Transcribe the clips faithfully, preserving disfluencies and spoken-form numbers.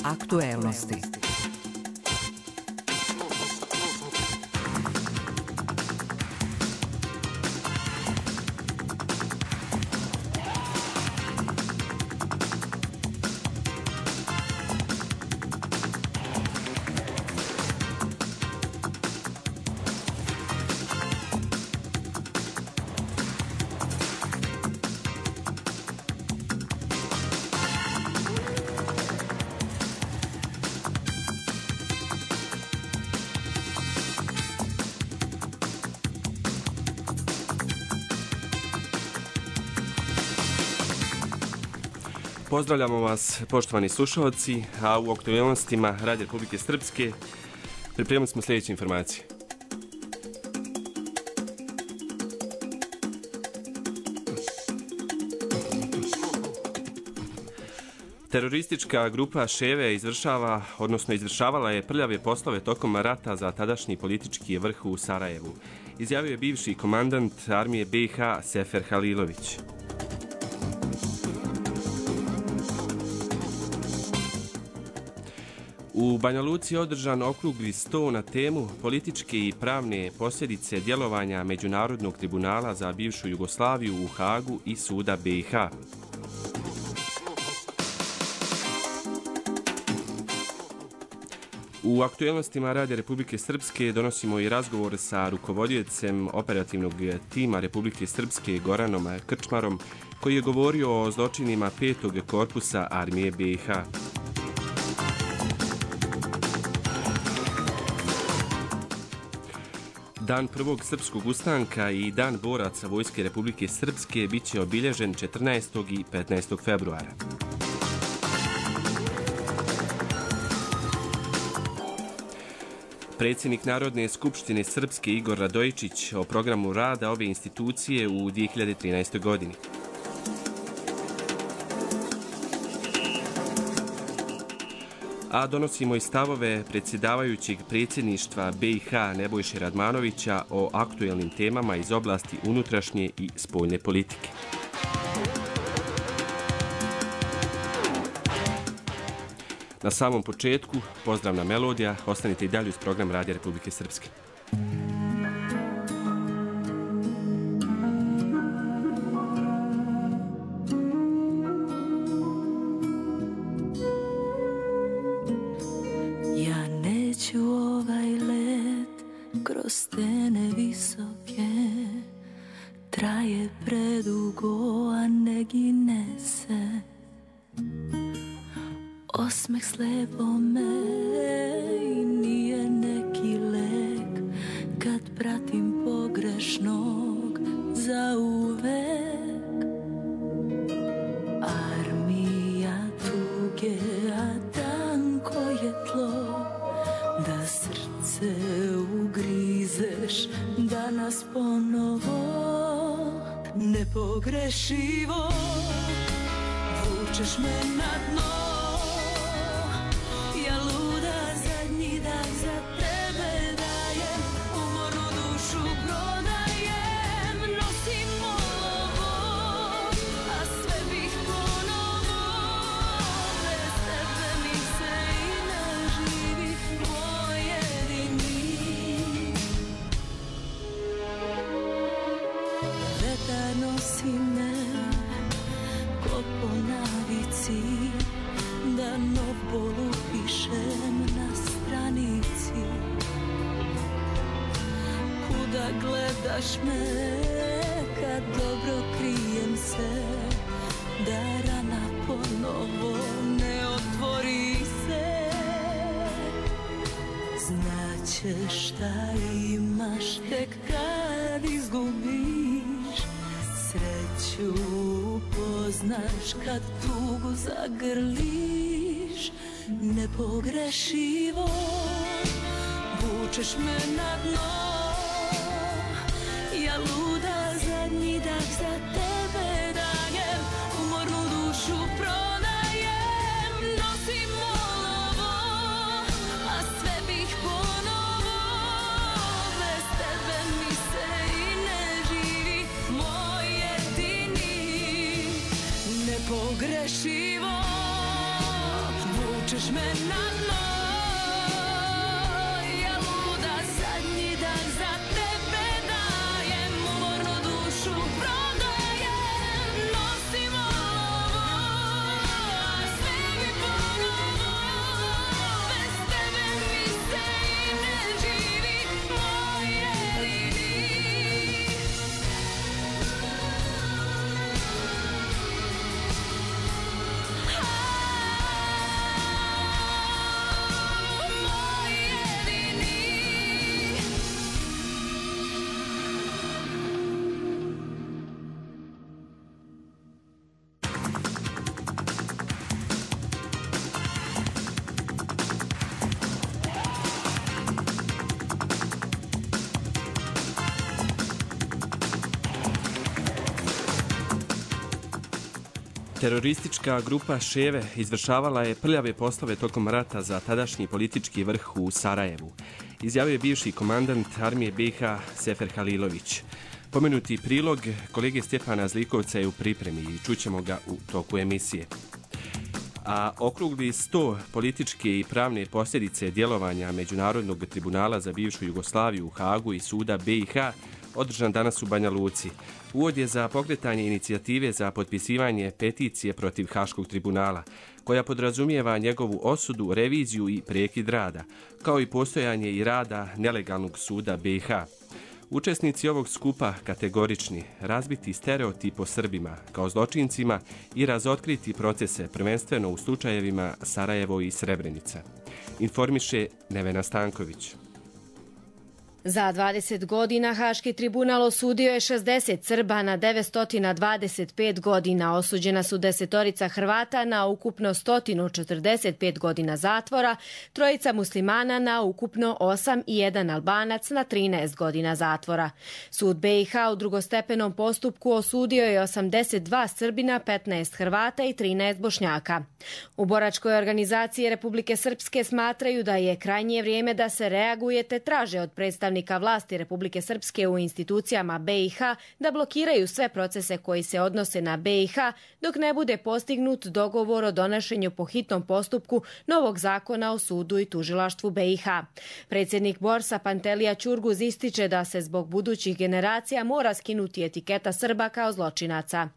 Aktuelnosti. Pozdravljamo vas, poštovani slušalci, a u aktualnostima Radija Republike Srpske pripremili smo sljedeće informacije. Teroristička grupa Ševe izvršava, odnosno izvršavala je prljave poslove tokom rata za tadašnji politički vrh u Sarajevu, izjavio je bivši komandant armije B i H Sefer Halilović. U Banja Luci je održan okrugli sto na temu političke i pravne posljedice djelovanja Međunarodnog tribunala za bivšu Jugoslaviju u Hagu i suda B i H. U aktualnostima Radija Republike Srpske donosimo i razgovor sa rukovodiocem operativnog tima Republike Srpske Goranom Krčmarom, koji je govorio o zločinima petog korpusa armije B i H. Dan prvog srpskog ustanka i Dan boraca Vojske Republike Srpske bit će obilježen četrnaestog i petnaestog februara. Predsjednik Narodne skupštine Srpske Igor Radojičić o programu rada ove institucije u dvije hiljade trinaestoj. godini. A donosimo i stavove predsjedavajućeg predsjedništva B i H Nebojše Radmanovića o aktuelnim temama iz oblasti unutrašnje i spoljne politike. Na samom početku, pozdravna melodija, ostanite i dalje uz program Radija Republike Srpske. Osmeh slijepo me i nije neki lek kad pratim pogrešnog za uvek. Armija tuge, a tanko je tlo, da srce ugrizeš danas ponovo. Nepogrešivo vučeš me na dno. Gledaš me kad dobro krijem se, da rana ponovo ne otvori se. Znaćeš šta imaš tek kad izgubiš, sreću upoznaš kad tugu zagrliš. Nepogrešivo vučeš me na dno. Ja luda zadnji dah za tebe dajem, umornu dušu prodajem, nosim olovo, a sve bih ponovo. Bez tebe mi se i ne živi, moj jedini. Nepogrešivo vučeš vučeš me na dno. Ja luda zadnji dan za tebe dajem, umorno dušu prodajem. Nosim ovo, a sve mi ponovo. Bez tebe mi se i ne živi, moj jedini. Teroristička grupa Ševe izvršavala je prljave poslove tokom rata za tadašnji politički vrh u Sarajevu, izjavio je bivši komandant armije B i H Sefer Halilović. Pomenuti prilog kolege Stjepana Zlikovca je u pripremi i čućemo ga u toku emisije. A okrugli sto političke i pravne posljedice djelovanja Međunarodnog tribunala za bivšu Jugoslaviju u Hagu i suda B i H održan danas u Banja Luci. Uvod je za pokretanje inicijative za potpisivanje peticije protiv Haškog tribunala, koja podrazumijeva njegovu osudu, reviziju i prekid rada, kao i postojanje i rada nelegalnog suda B i H. Učesnici ovog skupa kategorični, razbiti stereotip o Srbima kao zločincima i razotkriti procese prvenstveno u slučajevima Sarajevo i Srebrenica. Informiše Nevena Stanković. Za dvadeset godina Haški tribunal osudio je šezdeset Srba na devetsto dvadeset pet godina. Osuđena su desetorica Hrvata na ukupno sto četrdeset pet godina zatvora, trojica muslimana na ukupno osam i jedan Albanac na trinaest godina zatvora. Sud B i H u drugostepenom postupku osudio je osamdeset dva Srbina, petnaest Hrvata i trinaest Bošnjaka. U boračkoj organizaciji Republike Srpske smatraju da je krajnje vrijeme da se reaguje te traže od predstavnika vlasti Republike Srpske u institucijama B i H da blokiraju sve procese koji se odnose na B i H dok ne bude postignut dogovor o donošenju po hitnom postupku novog zakona o sudu i tužilaštvu B i H. Predsjednik Borsa Pantelija Ćurguz ističe da se zbog budućih generacija mora skinuti etiketa Srba kao zločinaca.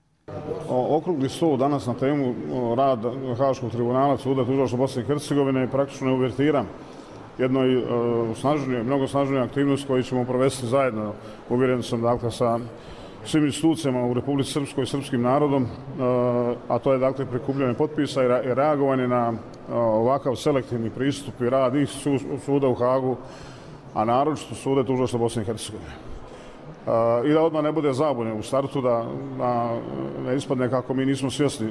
Okrugli sto danas na temu rad Haškog tribunala suda tužilaštva Bosne i Hercegovine je praktično uvertira jednoj snažnijoj, mnogo snažnijoj aktivnosti koju ćemo provesti zajedno, uvjeren sam, dakle, sa svim institucijama u Republici Srpskoj i srpskim narodom, a to je, dakle, prikupljanje potpisa i reagovanje na ovakav selektivni pristup i rad i suda u Hagu, a naročito suda tužilaštva Bosne i Hercegovine. I da odmah ne bude zabune u startu, da, da ne ispadne kako mi nismo svjesni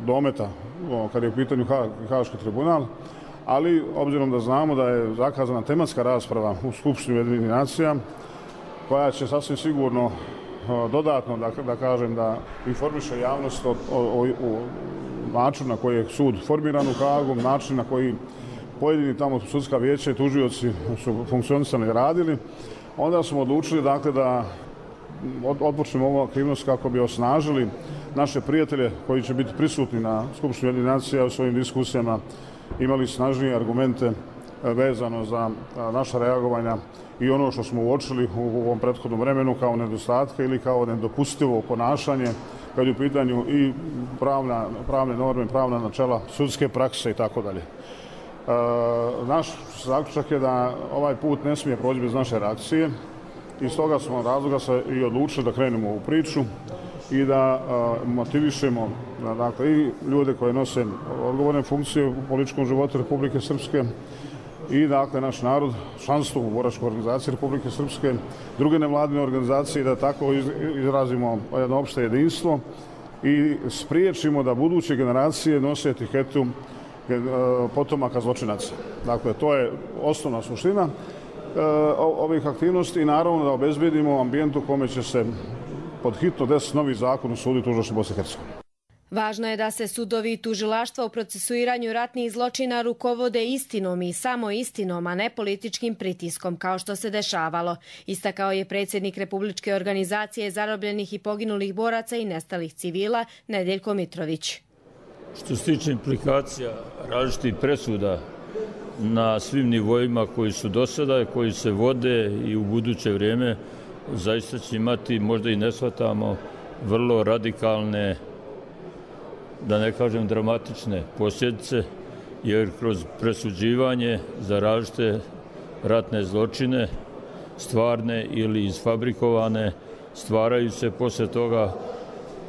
dometa kad je u pitanju Haški tribunal, ali obzirom da znamo da je zakazana tematska rasprava u Skupštini Ujedinjenih nacija, koja će sasvim sigurno dodatno, da, da kažem, da informiše javnost o, o, o načinu na koji je sud formiran u Hagu, način na koji pojedini tamo sudska vijeća i tužioci su funkcionisali i radili, onda smo odlučili, dakle, da odpočnemo ovu aktivnost kako bi osnažili naše prijatelje koji će biti prisutni na Skupštini Ujedinjenih nacija u svojim diskusijama, imali snažnije argumente vezano za naša reagovanja i ono što smo uočili u ovom prethodnom vremenu kao nedostatke ili kao nedopustivo ponašanje kad je u pitanju i pravna, pravne norme, pravna načela, sudske prakse i tako dalje. Naš zaključak je da ovaj put ne smije proći bez naše reakcije i iz toga smo razloga se i odlučili da krenemo u priču i da uh, motivišemo, dakle, i ljude koje nose odgovorne funkcije u političkom životu Republike Srpske i, dakle, naš narod, članstvo u boračkoj organizaciji Republike Srpske, druge nevladine organizacije, da tako izrazimo jedno opšte jedinstvo i spriječimo da buduće generacije nose etiketu potomaka zločinaca. Dakle, to je osnovna suština ovih aktivnosti i naravno da obezbedimo ambijent u kome će se pod hitno desiti novi zakon o sudu i tužilaštvu Bosne i Hercegovine. Važno je da se sudovi i tužilaštva u procesuiranju ratnih zločina rukovode istinom i samo istinom, a ne političkim pritiskom, kao što se dešavalo, istakao je predsjednik Republičke organizacije zarobljenih i poginulih boraca i nestalih civila Nedeljko Mitrović. Što se tiče implikacija različitih presuda na svim nivoima koji su do sada, koji se vode i u buduće vrijeme, zaista će imati, možda i ne shvatamo, vrlo radikalne, da ne kažem dramatične posljedice, jer kroz presuđivanje za različite ratne zločine, stvarne ili isfabrikovane, stvaraju se poslije toga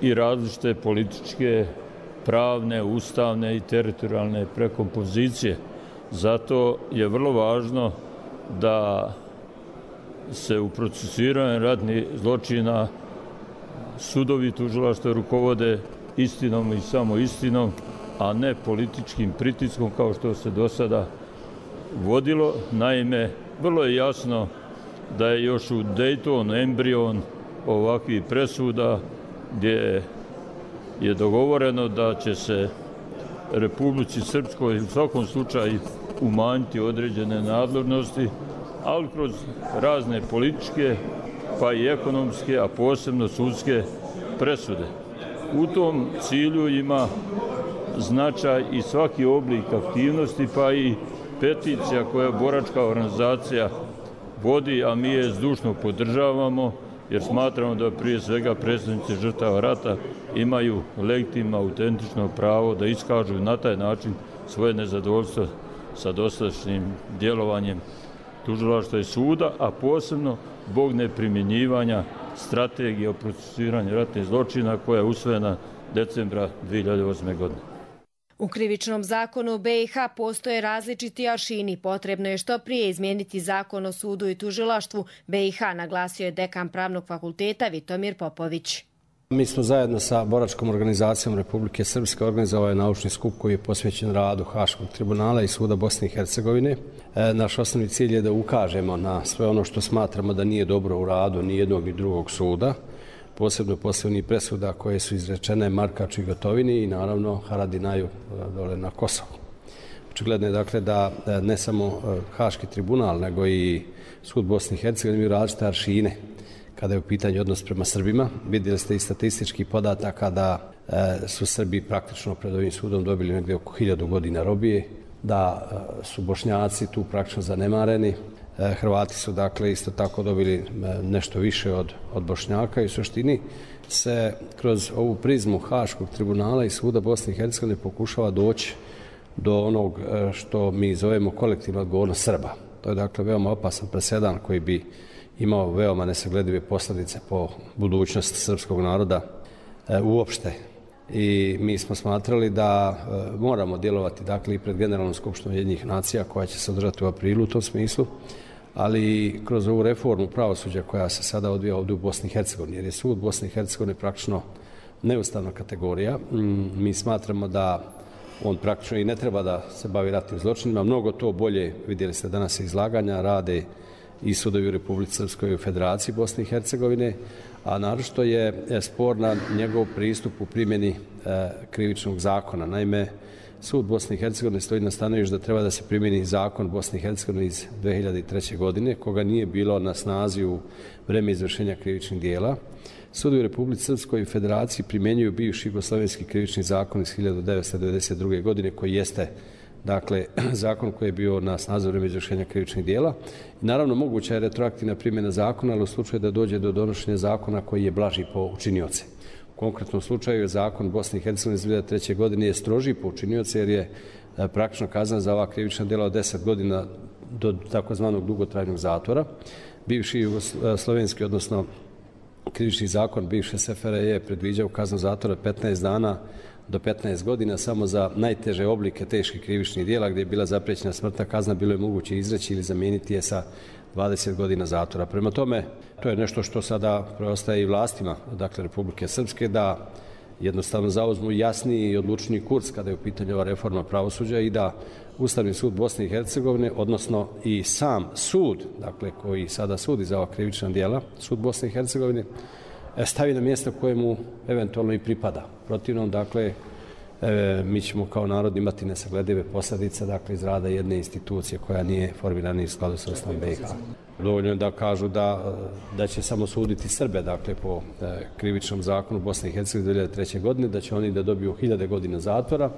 i različite političke, pravne, ustavne i teritorijalne prekompozicije. Zato je vrlo važno da se u procesuiranju ratnih zločina sudovi i tužilaštva rukovode istinom i samo istinom, a ne političkim pritiskom kao što se do sada vodilo. Naime, vrlo je jasno da je još u Daytonu embrion ovakvih presuda gdje je dogovoreno da će se Republici Srpskoj u svakom slučaju umanjiti određene nadležnosti, ali kroz razne političke pa i ekonomske, a posebno sudske presude. U tom cilju ima značaj i svaki oblik aktivnosti, pa i peticija koja boračka organizacija vodi, a mi je zdušno podržavamo, jer smatramo da prije svega predstavnici žrtava rata imaju legitimno, autentično pravo da iskažu na taj način svoje nezadovoljstvo sa dosadašnjim djelovanjem tužilaštva i suda, a posebno zbog neprimjenjivanja strategije o procesuiranju ratnih zločina koja je usvojena decembra dvije hiljade osme. godine. U krivičnom zakonu B i H postoje različiti aršini. Potrebno je što prije izmijeniti zakon o sudu i tužilaštvu B i H, naglasio je dekan Pravnog fakulteta Vitomir Popović. Mi smo zajedno sa boračkom organizacijom Republike Srpske organizovali naučni skup koji je posvećen radu Haškog tribunala i suda Bosne i Hercegovine. E, naš osnovni cilj je da ukažemo na sve ono što smatramo da nije dobro u radu ni jednog ni drugog suda, posebno posebnih presuda koje su izrečene Markaču i Gotovini i naravno Haradinaju dole na Kosovu. Očigledno je dakle da ne samo Haški tribunal nego i sud Bosne i Hercegovine imaju različite aršine kada je u pitanju odnos prema Srbima. Vidjeli ste i statistički podataka da su Srbi praktično pred ovim sudom dobili negdje oko hiljadu godina robije, da su Bošnjaci tu praktično zanemareni. Hrvati su dakle isto tako dobili nešto više od, od Bošnjaka i u suštini se kroz ovu prizmu Haškog tribunala i suda Bosne i Hercegovine pokušava doći do onog što mi zovemo kolektivna odgovornost Srba. To je dakle veoma opasan presedan koji bi imao veoma nesagledive posljedice po budućnost srpskog naroda e, uopšte. I mi smo smatrali da e, moramo djelovati dakle i pred Generalnom skupštinom Ujedinjenih nacija koja će se održati u aprilu u tom smislu, ali i kroz ovu reformu pravosuđa koja se sada odvija ovdje u Bosni i Hercegovini, jer je sud Bosne i Hercegovine praktično neustavna kategorija. Mm, mi smatramo da on praktično i ne treba da se bavi ratnim zločinima. Mnogo to bolje, vidjeli ste danas izlaganja, rade i sudovi u Republici Srpskoj i u Federaciji Bosne i Hercegovine, a naročito je sporna njegov pristup u primjeni e, krivičnog zakona. Naime, sud Bosne i Hercegovine stoji na stanovištu da treba da se primjeni zakon Bosne i Hercegovine iz dvije hiljade treće. godine, koga nije bilo na snazi u vreme izvršenja krivičnih dijela. Sudovi u Republici Srpskoj i Federaciji primjenjuju bivši jugoslovenski krivični zakon iz hiljade devetsto devedeset druge. godine, koji jeste dakle, zakon koji je bio na snazi u vreme izvršenja krivičnih dijela. I naravno, moguća je retroaktivna primjena zakona, ali u slučaju da dođe do donošenja zakona koji je blaži po učinioce. U konkretnom slučaju je zakon Bosne i Hercegovine iz dvije hiljade treće. godine je stroži po učinioce jer je praktično kazna za ova krivična djela od deset godina do takozvanog dugotrajnog zatvora. Bivši jugoslovenski, odnosno krivični zakon bivše S F R J je predviđao kaznu zatvora petnaest dana do petnaest godina samo za najteže oblike teških krivičnih djela gdje je bila zaprećena smrtna kazna, bilo je moguće izreći ili zamijeniti je sa dvadeset godina zatvora. Prema tome, to je nešto što sada preostaje i vlastima, dakle Republike Srpske, da jednostavno zauzmu jasniji i odlučniji kurs kada je u pitanju ova reforma pravosuđa i da Ustavni sud Bosne i Hercegovine, odnosno i sam sud, dakle koji sada sudi za ova krivična djela, sud Bosne i Hercegovine, stavi na mjesto koje mu eventualno i pripada. Protivnom, dakle, e, mi ćemo kao narod imati nesagledive posljedice, dakle, iz rada jedne institucije koja nije formirana u skladu sa Ustavom B i H. Dovoljno je da kažu da, da će samo suditi Srbe, dakle, po e, krivičnom zakonu Bosne i Hercegovine dvije hiljade treće. godine, da će oni da dobiju hiljade godina zatvora,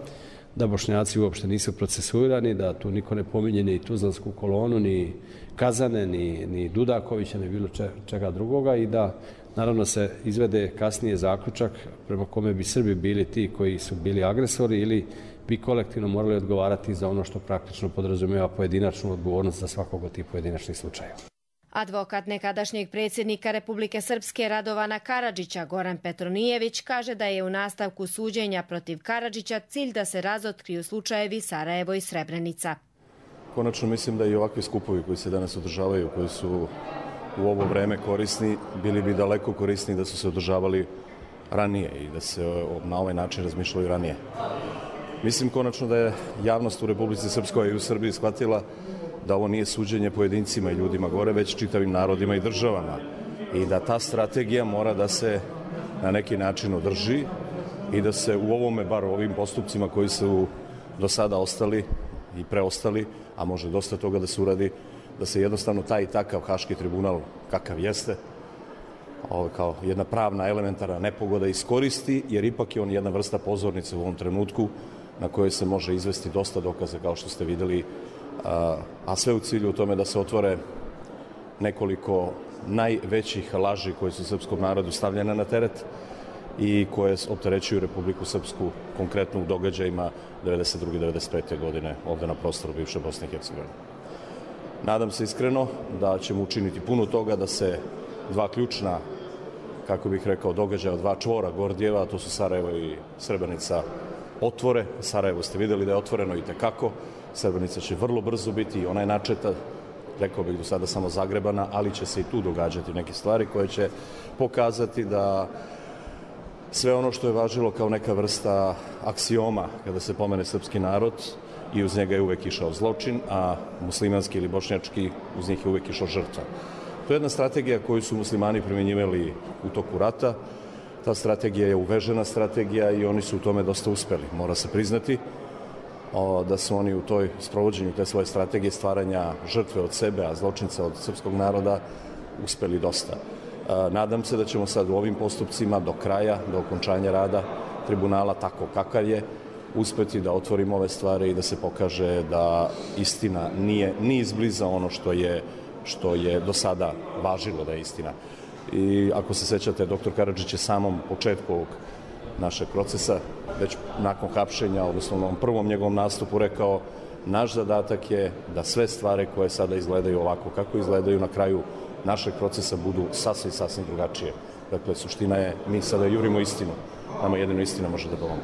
da Bošnjaci uopšte nisu procesuirani, da tu niko ne pominje ni Tuzlansku kolonu, ni Kazane, ni, ni Dudakovića, ni bilo čega drugoga i da naravno se izvede kasnije zaključak prema kome bi Srbi bili ti koji su bili agresori ili bi kolektivno morali odgovarati za ono što praktično podrazumijeva pojedinačnu odgovornost za svakog od tih pojedinačnih slučajeva. Advokat nekadašnjeg predsjednika Republike Srpske Radovana Karadžića, Goran Petronijević, kaže da je u nastavku suđenja protiv Karadžića cilj da se razotkriju slučajevi Sarajevo i Srebrenica. Konačno mislim da i ovakvi skupovi koji se danas održavaju, koji su u ovo vreme korisni, bili bi daleko korisni da su se održavali ranije i da se na ovaj način razmišljalo i ranije. Mislim konačno da je javnost u Republici Srpskoj i u Srbiji shvatila da ovo nije suđenje pojedincima i ljudima gore, već čitavim narodima i državama. I da ta strategija mora da se na neki način održi i da se u ovome, bar u ovim postupcima koji su do sada ostali i preostali, a može dosta toga da se uradi, da se jednostavno taj i takav Haški tribunal, kakav jeste, ovo, kao jedna pravna elementarna nepogoda iskoristi, jer ipak je on jedna vrsta pozornice u ovom trenutku na kojoj se može izvesti dosta dokaza, kao što ste videli, a, a sve u cilju u tome da se otvore nekoliko najvećih laži koje su srpskom narodu stavljene na teret i koje opterećuju Republiku Srpsku konkretno u događajima devedeset druge. devedeset pete. godine ovde na prostoru bivše Bosne i Hercegovine. Nadam se iskreno da ćemo učiniti puno toga da se dva ključna, kako bih rekao, događaja, dva čvora Gordijeva, a to su Sarajevo i Srebrenica, otvore. Sarajevo ste vidjeli da je otvoreno i tekako. Srebrenica će vrlo brzo biti i ona je načeta, rekao bih do sada samo zagrebana, ali će se i tu događati neke stvari koje će pokazati da sve ono što je važilo kao neka vrsta aksioma kada se pomene srpski narod i uz njega je uvek išao zločin, a muslimanski ili bošnjački uz njih je uvek išao žrtva. To je jedna strategija koju su muslimani primjenjivali u toku rata. Ta strategija je uvežena strategija i oni su u tome dosta uspeli. Mora se priznati o, da su oni u toj sprovođenju te svoje strategije stvaranja žrtve od sebe, a zločinca od srpskog naroda uspeli dosta. E, nadam se da ćemo sad u ovim postupcima do kraja, do okončanja rada tribunala, tako kakav je, uspeti da otvorimo ove stvari i da se pokaže da istina nije ni izbliza ono što je, što je do sada važilo da je istina. I ako se sećate, doktor Karadžić je samom početku ovog našeg procesa, već nakon hapšenja, odnosno na ovom prvom njegovom nastupu rekao, naš zadatak je da sve stvari koje sada izgledaju ovako kako izgledaju na kraju našeg procesa budu sasvim, sasvim drugačije. Dakle, suština je, mi sada jurimo istinu. Nama jedino istina može da pomogne.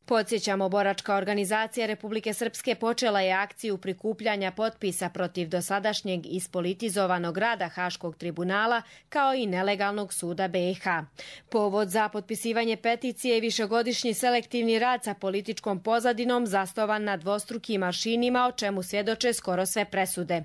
Podsjećamo, boračka organizacija Republike Srpske počela je akciju prikupljanja potpisa protiv dosadašnjeg ispolitizovanog rada Haškog tribunala kao i nelegalnog suda B i H. Povod za potpisivanje peticije je višegodišnji selektivni rad sa političkom pozadinom zasnovan na dvostrukim aršinima, o čemu svjedoče skoro sve presude.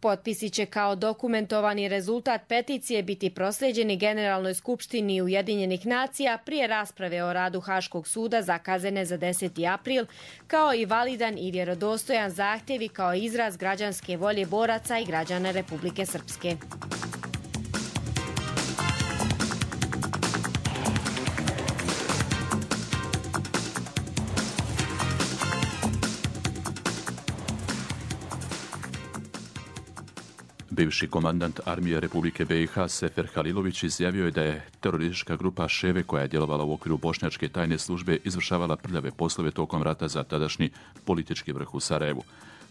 Potpisi će kao dokumentovani rezultat peticije biti proslijeđeni Generalnoj skupštini Ujedinjenih nacija prije rasprave o radu Haškog suda zakazane za deseti april, kao i validan i vjerodostojan zahtjev i kao izraz građanske volje boraca i građana Republike Srpske. Bivši komandant armije Republike B i H Sefer Halilović izjavio je da je teroristička grupa Ševe, koja je djelovala u okviru bošnjačke tajne službe, izvršavala prljave poslove tokom rata za tadašnji politički vrh u Sarajevu.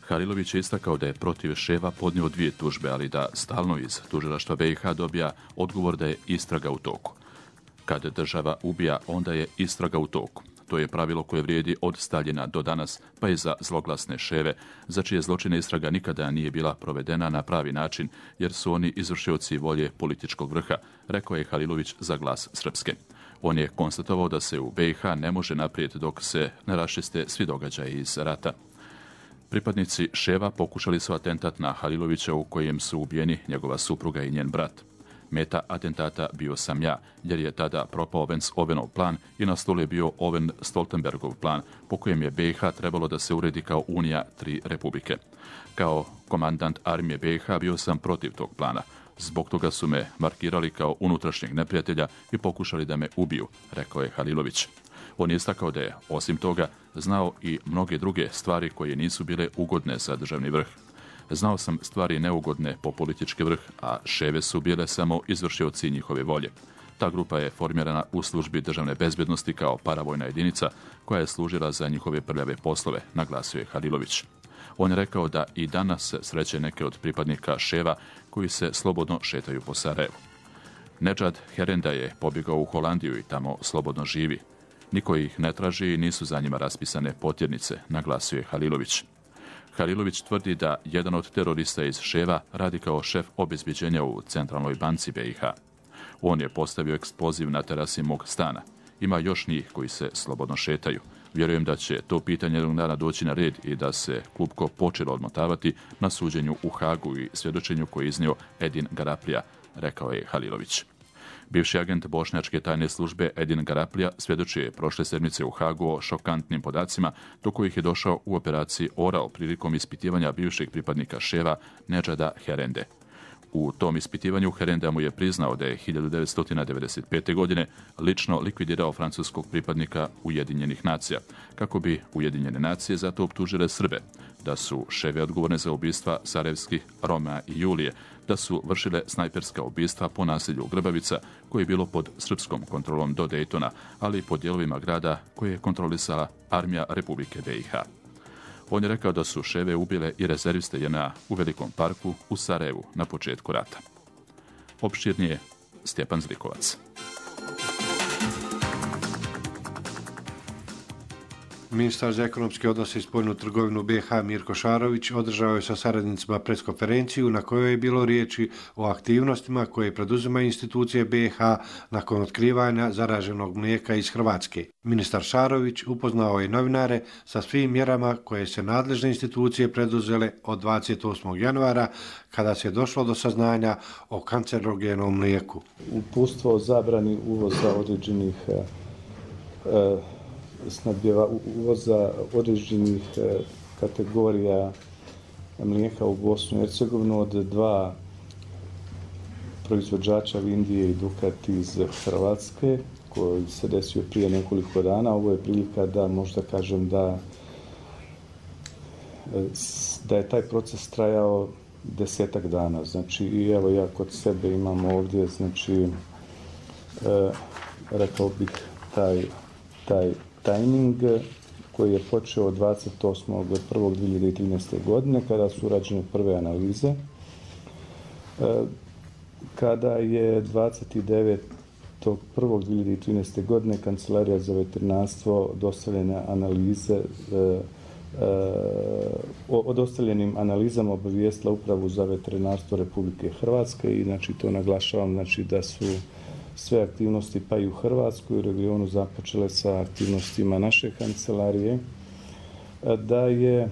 Halilović je istakao da je protiv Ševa podnio dvije tužbe, ali da stalno iz tužilaštva B i H dobija odgovor da je istraga u toku. Kad država ubija, onda je istraga u toku. To je pravilo koje vrijedi od Staljina do danas, pa i za zloglasne Ševe, za čije zločine istraga nikada nije bila provedena na pravi način, jer su oni izvršioci volje političkog vrha, rekao je Halilović za Glas Srpske. On je konstatovao da se u B i H ne može naprijed dok se ne raščiste svi događaji iz rata. Pripadnici Ševa pokušali su atentat na Halilovića u kojem su ubijeni njegova supruga i njen brat. Meta atentata bio sam ja, jer je tada propao Vance-Ovenov plan i na stolu je bio Oven-Stoltenbergov plan, po kojem je B i H trebalo da se uredi kao unija tri republike. Kao komandant armije B i H bio sam protiv tog plana. Zbog toga su me markirali kao unutrašnjeg neprijatelja i pokušali da me ubiju, rekao je Halilović. On je istakao da je, osim toga, znao i mnoge druge stvari koje nisu bile ugodne za državni vrh. Znao sam stvari neugodne po politički vrh, a ševe su bile samo izvršioci njihove volje. Ta grupa je formirana u službi državne bezbednosti kao paravojna jedinica koja je služila za njihove prljave poslove, naglasio je Halilović. On je rekao da i danas sreće neke od pripadnika ševa koji se slobodno šetaju po Sarajevu. Nedžad Herenda je pobjegao u Holandiju i tamo slobodno živi. Niko ih ne traži i nisu za njima raspisane potjernice, naglasio je Halilović. Halilović tvrdi da jedan od terorista iz ševa radi kao šef obezbeđenja u Centralnoj banci B i H. On je postavio eksploziv na terasi mog stana. Ima još njih koji se slobodno šetaju. Vjerujem da će to pitanje jednog dana doći na red i da se klupko počelo odmotavati na suđenju u Hagu i svjedočenju koje je iznio Edin Garaplija, rekao je Halilović. Bivši agent bošnjačke tajne službe Edin Garaplija svjedočio je prošle sedmice u Hagu o šokantnim podacima do kojih je došao u operaciji Orao prilikom ispitivanja bivšeg pripadnika ševa Nedžada Herende. U tom ispitivanju Herenda mu je priznao da je hiljadu devetsto devedeset pete. godine lično likvidirao francuskog pripadnika Ujedinjenih nacija, kako bi Ujedinjene nacije zato optužile Srbe, da su ševe odgovorne za ubistva sarajevskih Roma i Julije, da su vršile snajperska ubistva po naselju Grbavica, koje je bilo pod srpskom kontrolom do Dejtona, ali i po dijelovima grada koje je kontrolisala armija Republike B i H. On je rekao da su ševe ubile i rezerviste J N A u Velikom parku u Sarajevu na početku rata. Opširnije Stjepan Zlikovac. Ministar za ekonomske odnose i spoljnu trgovinu B i H Mirko Šarović održao je sa saradnicima preskonferenciju na kojoj je bilo riječi o aktivnostima koje preduzimaju institucije B i H nakon otkrivanja zaraženog mlijeka iz Hrvatske. Ministar Šarović upoznao je novinare sa svim mjerama koje se nadležne institucije preduzele od dvadeset osmog januara kada se došlo do saznanja o kancerogenom mlijeku. Uputstvo o zabrani uvoza određenih e, snabdjeva uvoza određenih kategorija mlijeka u Bosnu i Hercegovinu od dva proizvođača Vindije i Dukat iz Hrvatske, koji se desio prije nekoliko dana. Ovo je prilika da možda kažem da, da je taj proces trajao desetak dana. Znači, i evo ja kod sebe imam ovdje, znači, e, rekao bih taj, taj tajming koji je počeo od dvadeset osmog prvog dvije hiljade trinaeste. godine kada su urađene prve analize. Kada je dvadeset devetog prvog dvije hiljade trinaeste. godine Kancelarija za veterinarstvo dostavljene analize o dostavljenim analizama obavijestila Upravu za veterinarstvo Republike Hrvatske i znači to naglašavam znači da su sve aktivnosti pa i u Hrvatskoj i u regionu započele sa aktivnostima naše kancelarije, da, je,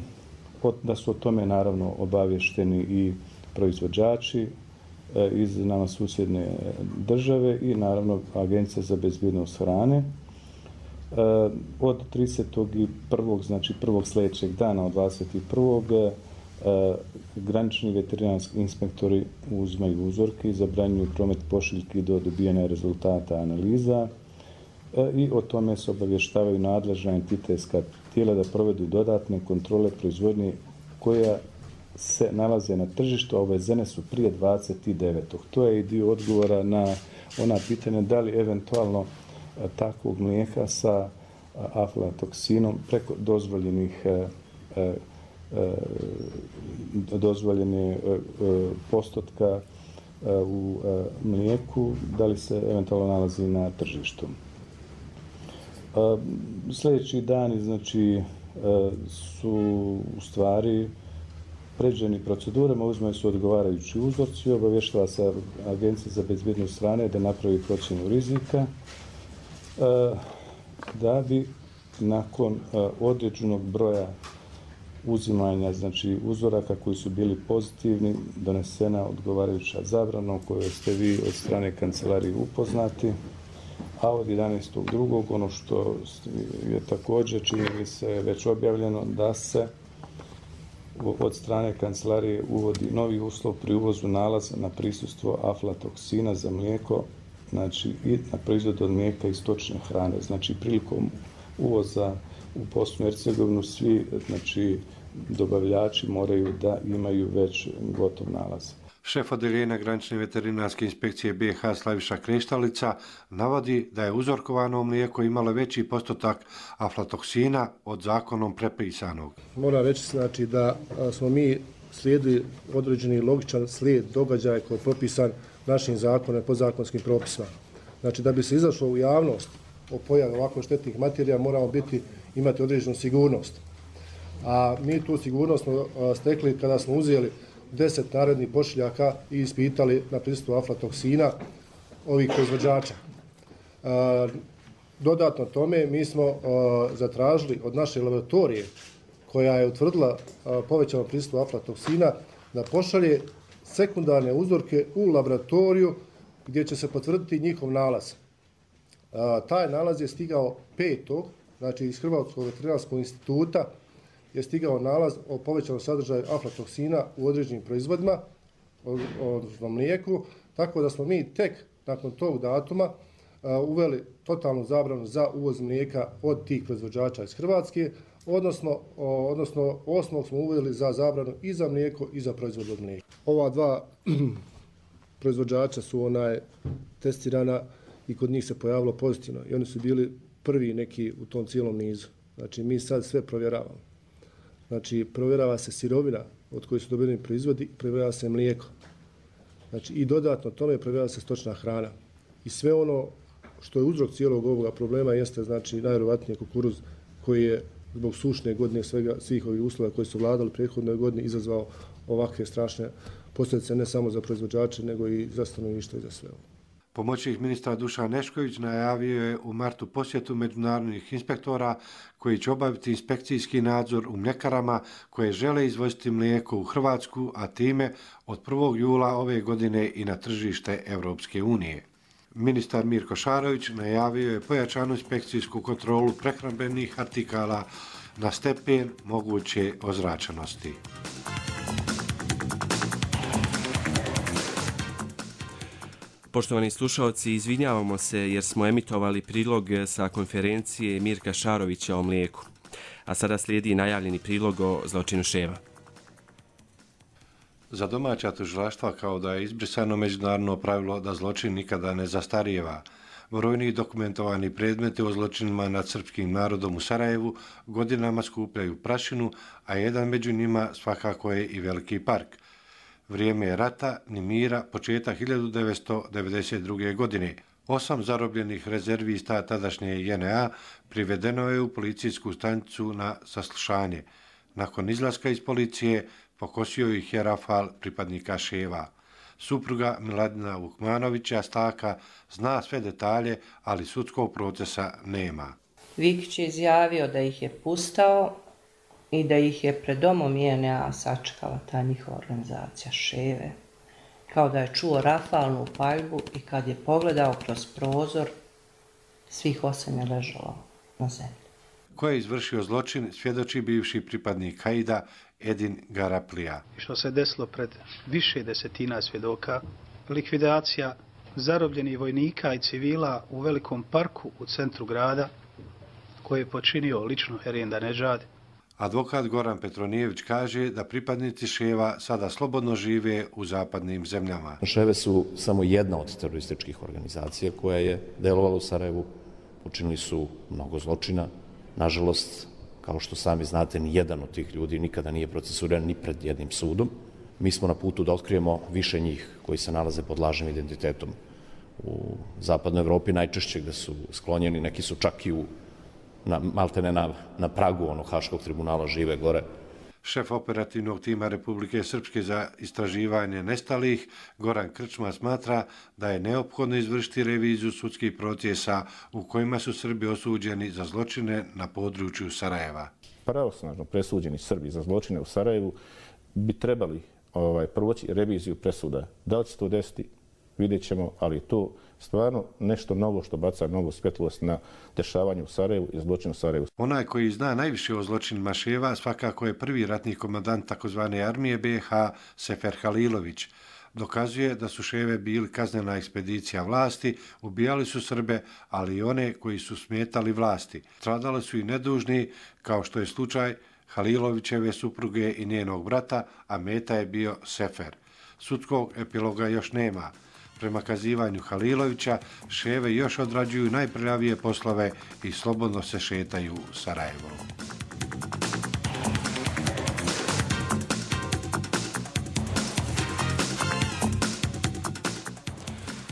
da su o tome naravno obavješteni i proizvođači iz nama susjedne države i naravno Agencija za bezbjednost hrane. Od tridesetog prvog znači prvog sljedećeg dana od dvadeset prvog granični veterinarski inspektori uzmaju uzorke i zabranjuju promet pošiljki do dobijanja rezultata analiza i o tome se obavještavaju nadležna entitetska tijela da provedu dodatne kontrole proizvodnje koja se nalaze na tržištu, a uvezene su prije dvadeset devetog. To je i dio odgovora na ona pitanja da li eventualno takvog mlijeka sa aflatoksinom preko dozvoljenih dozvoljene postotka u mlijeku, da li se eventualno nalazi na tržištu. Sljedeći dani znači, su u stvari pređeni procedurama, uzmaju su odgovarajući uzorci, obavještava se Agencija za bezbjednost hrane da napravi procjenu rizika, da bi nakon određenog broja uzimanja znači, uzoraka koji su bili pozitivni, donesena odgovarajuća zabrana kojoj ste vi od strane kancelarije upoznati. A od jedanaestog drugog ono što je također čini se već objavljeno da se od strane kancelarije uvodi novi uslov pri uvozu nalaza na prisustvo aflatoksina za mlijeko, znači i na proizvod od mlijeka i stočne hrane. Znači prilikom uvoza u Bosnu i Hercegovinu svi znači, dobavljači moraju da imaju već gotov nalaz. Šef odeljenja granične veterinarske inspekcije B i H Slaviša Kreštalica navodi da je uzorkovano mlijeko imalo veći postotak aflatoksina od zakonom prepisanog. Moram reći znači, da smo mi slijedili određeni logičan slijed događaja koji je propisan našim zakonom i podzakonskim propisima. Znači da bi se izašlo u javnost o pojavi ovako štetnih materija moramo biti, imati određenu sigurnost. A mi tu sigurnost smo stekli kada smo uzeli deset narednih pošiljaka i ispitali na prisustvo aflatoksina ovih proizvođača. E, dodatno tome mi smo e, zatražili od naše laboratorije koja je utvrdila e, povećano prisustvo aflatoksina da pošalje sekundarne uzorke u laboratoriju gdje će se potvrditi njihov nalaz. E, taj nalaz je stigao petog znači iz Hrvatskog veterinarskog instituta je stigao nalaz o povećanom sadržaju aflatoksina u određenim proizvodima, odnosno mlijeku, tako da smo mi tek nakon tog datuma uveli totalnu zabranu za uvoz mlijeka od tih proizvođača iz Hrvatske, odnosno, odnosno osmog smo uveli za zabranu i za mlijeko i za proizvod od mlijeka. Ova dva proizvođača su onaj testirana i kod njih se pojavilo pozitivno i oni su bili prvi neki u tom cijelom nizu. Znači mi sad sve provjeravamo. Znači, provjerava se sirovina od koje su dobili proizvodi, provjerava se mlijeko. Znači, i dodatno tome provjerava se stočna hrana. I sve ono što je uzrok cijelog ovoga problema jeste, znači, najvjerovatnije kukuruz koji je zbog sušne godine svega, svih ovih uslova koji su vladali prethodnoj godini izazvao ovakve strašne posljedice ne samo za proizvođače, nego i za stanovništvo i za sve ovo. Pomoćnik ministra Dušan Nešković najavio je u martu posjetu međunarodnih inspektora koji će obaviti inspekcijski nadzor u mljekarama koje žele izvoziti mlijeko u Hrvatsku, a time od prvog jula ove godine i na tržište Evropske unije. Ministar Mirko Šarović najavio je pojačanu inspekcijsku kontrolu prehrambenih artikala na stepen moguće ozračenosti. Poštovani slušalci, izvinjavamo se jer smo emitovali prilog sa konferencije Mirka Šarovića o mlijeku. A sada slijedi najavljeni prilog o zločinu Ševa. Za domaća tužilaštva kao da je izbrisano međunarodno pravilo da zločin nikada ne zastarijeva. Brojni dokumentovani predmeti o zločinima nad srpskim narodom u Sarajevu godinama skupljaju prašinu, a jedan među njima svakako je i Veliki park. Vrijeme je rata, ni mira, početak hiljadu devetsto devedeset druge. godine. Osam zarobljenih rezervista tadašnje J N A privedeno je u policijsku stanicu na saslušanje. Nakon izlaska iz policije pokosio ih je rafal pripadnika Ševa. Supruga Miladina Vukmanovića Staka zna sve detalje, ali sudskog procesa nema. Vikić je izjavio da ih je pustao i da ih je pred domom J N A sačekala ta njihova organizacija Ševe. Kao da je čuo rafalnu paljbu i kad je pogledao kroz prozor, svih osam je ležalo na zemlji. Ko je izvršio zločin, svjedoči bivši pripadnik Haida Edin Garaplija. Što se desilo pred više desetina svjedoka, likvidacija zarobljenih vojnika i civila u Velikom parku u centru grada, koje je počinio lično Herenda Neđad. Advokat Goran Petronijević kaže da pripadnici Ševa sada slobodno žive u zapadnim zemljama. Ševe su samo jedna od terorističkih organizacija koja je delovala u Sarajevu. Počinili su mnogo zločina. Nažalost, kao što sami znate, ni jedan od tih ljudi nikada nije procesuiran ni pred jednim sudom. Mi smo na putu da otkrijemo više njih koji se nalaze pod lažnim identitetom u zapadnoj Evropi, najčešće gde su sklonjeni, neki su čak i u na, maltene na, na pragu onog Haškog tribunala žive gore. Šef operativnog tima Republike Srpske za istraživanje nestalih, Goran Krčma, smatra da je neophodno izvršiti reviziju sudskih procesa u kojima su Srbi osuđeni za zločine na području Sarajeva. Pravosnažno presuđeni Srbi za zločine u Sarajevu bi trebali ovaj, proći reviziju presuda. Da li će to desiti, vidjet ćemo, ali je to stvarno nešto novo što baca novu svjetlost na dešavanje u Sarajevu i zločin u Sarajevu. Onaj koji zna najviše o zločinima Ševa svakako je prvi ratni komandant takozvane armije B i H Sefer Halilović. Dokazuje da su Ševe bili kaznena ekspedicija vlasti, ubijali su Srbe, ali i one koji su smetali vlasti. Stradali su i nedužni, kao što je slučaj Halilovićeve supruge i njenog brata, a meta je bio Sefer. Sudskog epiloga još nema. Prema kazivanju Halilovića, Ševe još odrađuju najprljavije poslove i slobodno se šetaju Sarajevom.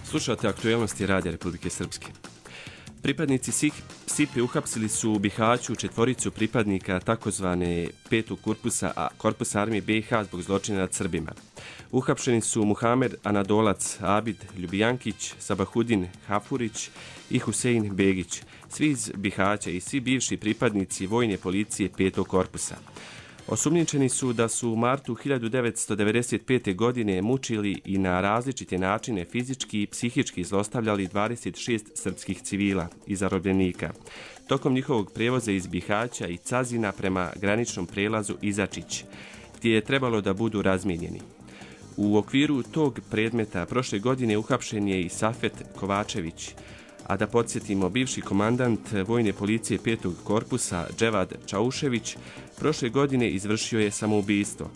Slušate aktuelnosti Radija Republike Srpske. Pripadnici S I P-e uhapsili su u Bihaću četvoricu pripadnika takozvane petog korpusa, a korpusa armije B i H zbog zločina nad Srbima. Uhapšeni su Muhamed Anadolac, Abid Ljubijankić, Sabahudin Hafurić i Husein Begić, svi iz Bihaća i svi bivši pripadnici vojne policije petog korpusa. Osumnjičeni su da su u martu hiljadu devetsto devedeset pete. godine mučili i na različite načine fizički i psihički zlostavljali dvadeset šest srpskih civila i zarobljenika tokom njihovog prevoza iz Bihaća i Cazina prema graničnom prelazu Izačić, gdje je trebalo da budu razmijenjeni. U okviru tog predmeta prošle godine uhapšen je i Safet Kovačević, a da podsjetimo, bivši komandant vojne policije petog korpusa Dževad Čaušević prošle godine izvršio je samoubistvo.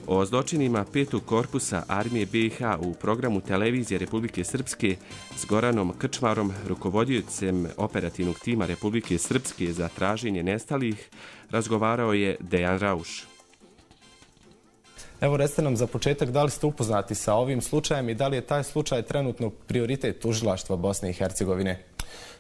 O zločinima petog korpusa armije B i H u programu televizije Republike Srpske s Goranom Krčmarom, rukovodiocem operativnog tima Republike Srpske za traženje nestalih, razgovarao je Dejan Rauš. Evo, recite nam za početak, da li ste upoznati sa ovim slučajem i da li je taj slučaj trenutno prioritet tužilaštva Bosne i Hercegovine?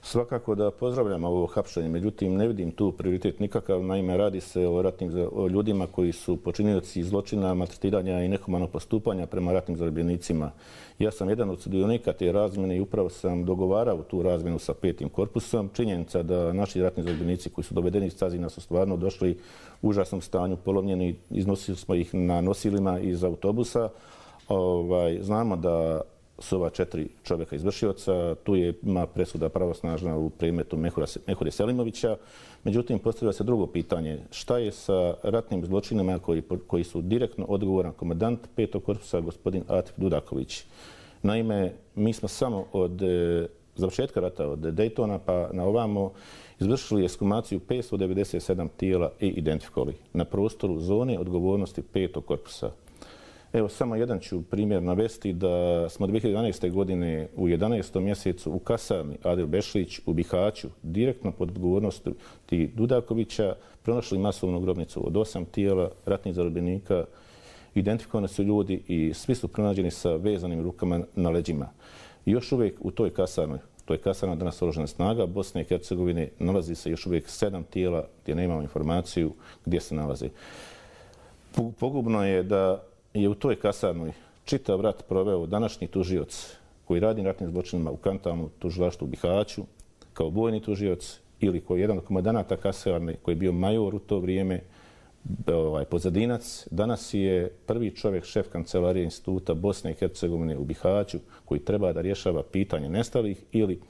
Svakako da pozdravljam ovo hapšenje, međutim ne vidim tu prioritet nikakav. Naime, radi se o ratnim o ljudima koji su počinioci zločina, maltretiranja i nehumanog postupanja prema ratnim zarobljenicima. Ja sam jedan od sudionika te razmjene i upravo sam dogovarao tu razmjenu sa petim korpusom. Činjenica da naši ratni zarobljenici koji su dovedeni iz Cazina su stvarno došli u užasnom stanju, polovljeni, iznosili smo ih na nosilima iz autobusa. Ovaj, znamo da su ova četiri čovjeka izvršioca, tu je ima presuda pravosnažna u predmetu Mehura Selimovića. Međutim, postavlja se drugo pitanje. Šta je sa ratnim zločinama koji, koji su direktno odgovoran komandant petog korpusa, gospodin Atif Dudaković? Naime, mi smo samo od e, završetka rata, od Daytona pa na ovamo, izvršili ekshumaciju petsto devedeset sedam tijela i identifikovali na prostoru zone odgovornosti petog korpusa. Evo, samo jedan ću primjer navesti da smo dvije hiljade jedanaeste. godine u jedanaestom mjesecu u kasarni Adil Bešlić u Bihaću direktno pod odgovornosti Dudakovića pronašli masovnu grobnicu od osam tijela ratnih zarobljenika. Identifikovani su ljudi i svi su pronađeni sa vezanim rukama na leđima. I još uvijek u toj kasarnoj, to je kasarna danas oružanih snaga Bosne i Hercegovine, nalazi se još uvijek sedam tijela gdje nemamo informaciju gdje se nalaze. Pogubno je da je u toj kasarnoj čitav rat proveo današnji tužioc koji radi na ratnim zločinima u Kantanu, tužilaštvu u Bihaću, kao vojni tužioc, ili koji je jedan od komandanata kasarne koji je bio major u to vrijeme, ovaj, pozadinac. Danas je prvi čovjek šef kancelarije instituta Bosne i Hercegovine u Bihaću koji treba da rješava pitanje nestalih, ili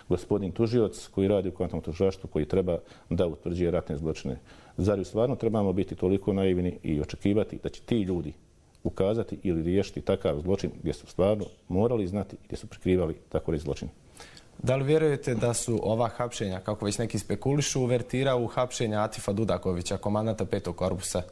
gospodin tužioc koji radi u Kantonskom tužilaštvu koji treba da utvrđuje ratne zločine. Zar stvarno trebamo biti toliko naivni i očekivati da će ti ljudi ukazati ili riješiti takav zločin gdje su stvarno morali znati i gdje su prikrivali tako zločin? Da li vjerujete da su ova hapšenja, kako već neki spekulišu, uvertira u hapšenja Atifa Dudakovića, komandanta petog korpusa?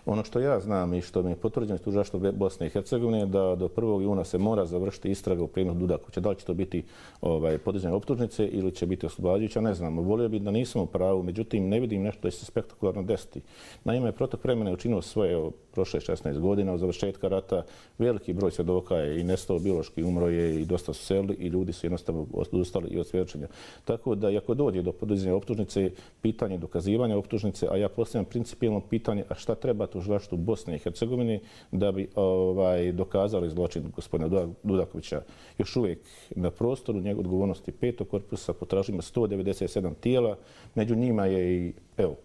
Ono što ja znam i što mi je potvrđeno iz tužilaštva Bosne i Hercegovine je da do prvog juna se mora završiti istraga u predmetu Dudakovića. Da li će to biti ovaj, podizanje optužnice ili će biti oslobađajuća, ne znam. Volio bih da nisam u pravu, međutim ne vidim nešto da će se spektakularno desiti. Naime, protok vremena je učinio svoje. prošle šesnaest godina od završetka rata. Veliki broj svjedoka je i nestao biološki, umro je i dosta su selili i ljudi su jednostavno odustali i od svjedočenja. Tako da, ako dođe do podizanja optužnice, pitanje dokazivanja optužnice, a ja postavljam principijelno pitanje, a šta treba tužilaštvu Bosne i Hercegovine da bi ovaj, dokazali zločin gospodina Dudakovića. Još uvijek na prostoru njegove odgovornosti petog korpusa potražimo sto devedeset sedam tijela, među njima je i, evo,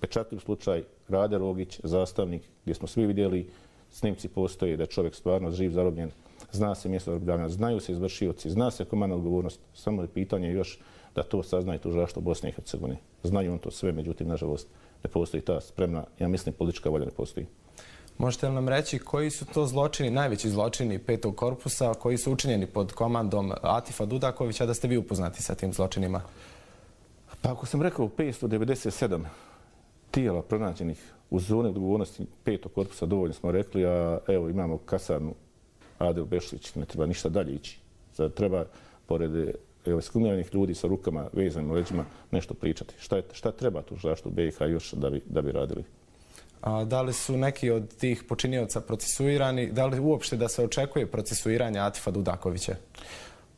pečatljiv slučaj Rade Rogić, zastavnik, gdje smo svi vidjeli, snimci postoje da je čovjek stvarno živ, zarobljen, zna se mjesto zarobljavanja, znaju se izvršioci, zna se komandna odgovornost. Samo je pitanje još da to sazna i tužilaštvo Bosne i Hercegovine. Znaju on to sve, međutim, nažalost, ne postoji ta spremna, ja mislim, politička volja ne postoji. Možete li nam reći koji su to zločini, najveći zločini petog korpusa, koji su učinjeni pod komandom Atifa Dudakovića, da ste vi upoznati sa tim zločinima? Pa ako sam rekao petsto devedeset sedam tijela pronađenih u zoni odgovornosti petog korpusa, dovoljno smo rekli, a evo imamo kasarnu Adel Bešlić, ne treba ništa dalje ići. Sad treba, pored skumiranih ljudi sa rukama vezanim leđima, nešto pričati. Šta, je, šta treba tužilaštvu B i H još da bi, da bi radili? A da li su neki od tih počinioca procesuirani? Da li uopšte da se očekuje procesuiranje Atifa Dudakovića?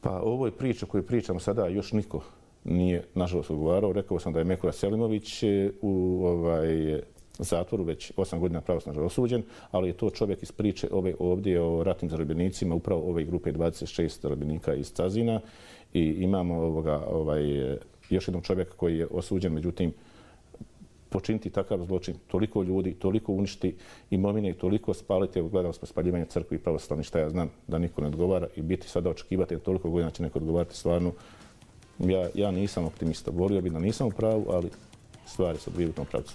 Pa ovoj priči koju pričamo sada još niko nije, nažalost, odgovarao. Rekao sam da je Mekura Selimović u ovaj, zatvoru već osam godina pravosnažno osuđen, ali je to čovjek iz priče ove ovdje o ratnim zarobljenicima, upravo ove grupe dvadeset šest zarobljenika iz Cazina. I imamo ovoga, ovaj, još jednog čovjeka koji je osuđen, međutim, počiniti takav zločin, toliko ljudi, toliko uništi imovine i toliko spaliti, evo gledali smo spaljivanje crkvi i pravoslavni, šta ja znam da niko ne odgovara i biti sada očekivati, jer toliko godina će neko odgovarati, stvarno, ja, ja nisam optimista. Volio bi da nisam u pravu, ali stvari su odvijaju u tom pravcu.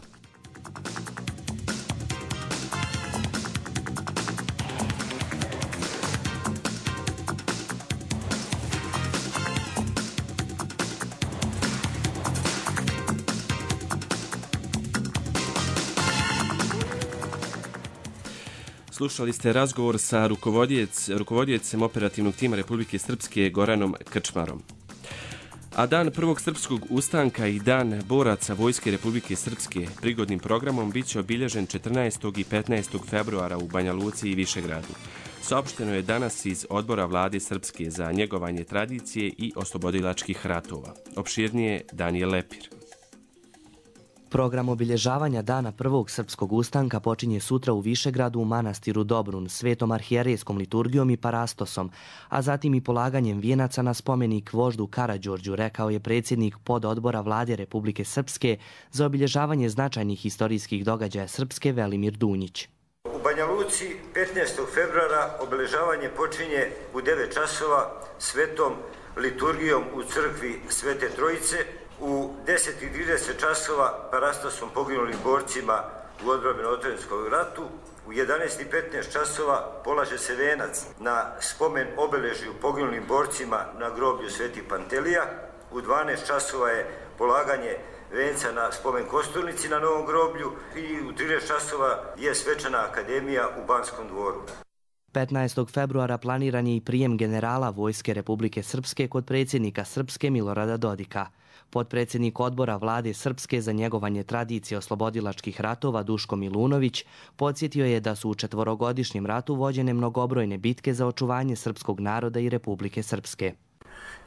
Slušali ste razgovor sa rukovodjecem operativnog tima Republike Srpske Goranom Krčmarom. A dan prvog srpskog ustanka i dan boraca Vojske Republike Srpske prigodnim programom bit će obilježen četrnaestog i petnaestog februara u Banja Luci i Višegradu. Saopšteno je danas iz Odbora Vlade Srpske za njegovanje tradicije i oslobodilačkih ratova. Opširnije Danijel Lepir. Program obilježavanja dana prvog srpskog ustanka počinje sutra u Višegradu u manastiru Dobrun, svetom arhijerejskom liturgijom i parastosom, a zatim i polaganjem vijenaca na spomenik voždu Karađorđu, rekao je predsjednik pododbora Vlade Republike Srpske za obilježavanje značajnih historijskih događaja Srpske Velimir Dunjić. U Banja Luci petnaestog februara obilježavanje počinje u devet časova svetom liturgijom u crkvi Svete Trojice, u deset i trideset časova parastosom poginulim borcima u odbrani Otvorenskog ratu, u jedanaest i petnaest časova polaže se venac na spomen obeležju poginulim borcima na groblju Sveti Pantelija, u dvanaest časova je polaganje venca na spomen Kosturnici na Novom groblju i u trinaest časova je svečana akademija u Banskom dvoru. petnaestog februara planiran je i prijem generala Vojske Republike Srpske kod predsjednika Srpske Milorada Dodika. Potpredsjednik odbora Vlade Srpske za njegovanje tradicije oslobodilačkih ratova Duško Milunović podsjetio je da su u četvorogodišnjem ratu vođene mnogobrojne bitke za očuvanje srpskog naroda i Republike Srpske.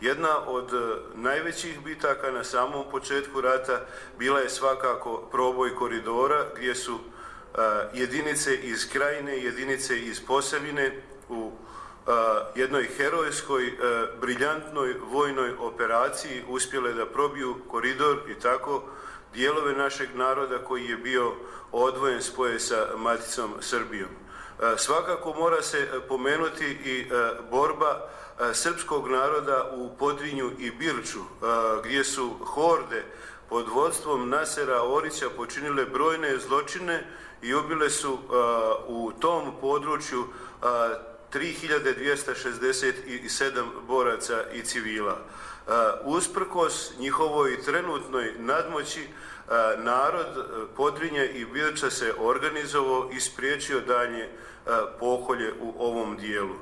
Jedna od najvećih bitaka na samom početku rata bila je svakako proboj koridora gdje su jedinice iz Krajine, jedinice iz Posavine u jednoj herojskoj, briljantnoj vojnoj operaciji uspjele da probiju koridor i tako dijelove našeg naroda koji je bio odvojen spoje sa maticom Srbijom. Svakako mora se pomenuti i borba srpskog naroda u Podrinju i Birču, gdje su horde pod vodstvom Nasera Orića počinile brojne zločine i ubile su u tom području tri hiljade dvjesto šezdeset sedam boraca i civila. Usprkos njihovoj trenutnoj nadmoći, narod Podrinja i Birča se organizovao i spriječio dalje pokolje u ovom dijelu.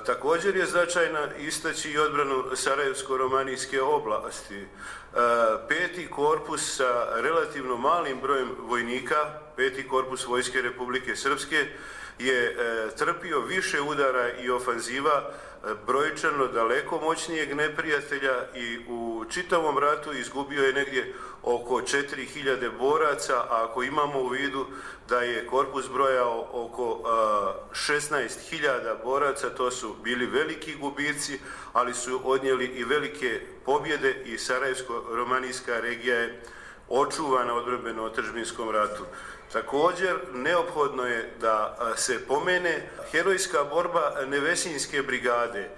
Također je značajna istaći i odbranu Sarajevsko-romanijske oblasti. Peti korpus sa relativno malim brojem vojnika, peti korpus Vojske Republike Srpske, je trpio više udara i ofanziva brojčano daleko moćnijeg neprijatelja i u čitavom ratu izgubio je negdje oko četiri hiljade boraca, a ako imamo u vidu da je korpus brojao oko šesnaest hiljada boraca, to su bili veliki gubici, ali su odnijeli i velike pobjede i Sarajevsko-romanijska regija je očuvana odbrambeno-otadžbinskom ratu. Također, neophodno je da se pomene herojska borba Nevesinjske brigade.